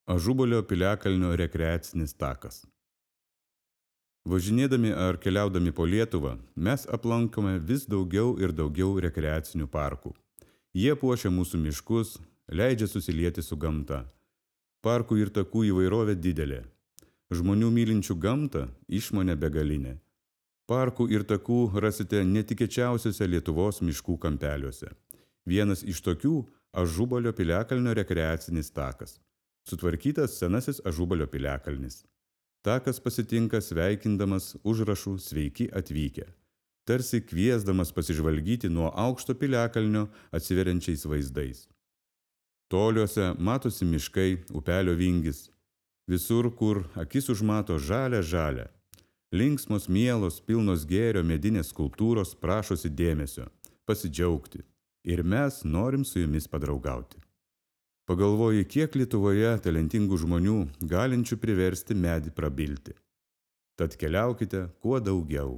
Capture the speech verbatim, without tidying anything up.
Ažubalio piliakalnio rekreacinis takas. Važinėdami ar keliaudami po Lietuvą, mes aplankome vis daugiau ir daugiau rekreacinių parkų. Jie puošia mūsų miškus, leidžia susilieti su gamta. Parkų ir takų įvairovė didelė. Žmonių mylinčių gamtą išmonė begalinė. Parkų ir takų rasite netikėčiausiuose Lietuvos miškų kampeliuose. Vienas iš tokių – Ažubalio piliakalnio rekreacinis takas. Sutvarkytas senasis Ažubalio piliakalnis. Takas pasitinka sveikindamas užrašų sveiki atvykę, tarsi kviesdamas pasižvalgyti nuo aukšto piliakalnio atsiveriančiais vaizdais. Toliuose matosi miškai, upelio vingis. Visur, kur akis užmato žalia žalia. Linksmos, mielos, pilnos gėrio medinės skulptūros prašosi dėmesio, pasidžiaugti. Ir mes norim su jumis padraugauti. Pagalvoji, kiek Lietuvoje talentingų žmonių, galinčių priversti medį prabilti. Tad keliaukite kuo daugiau.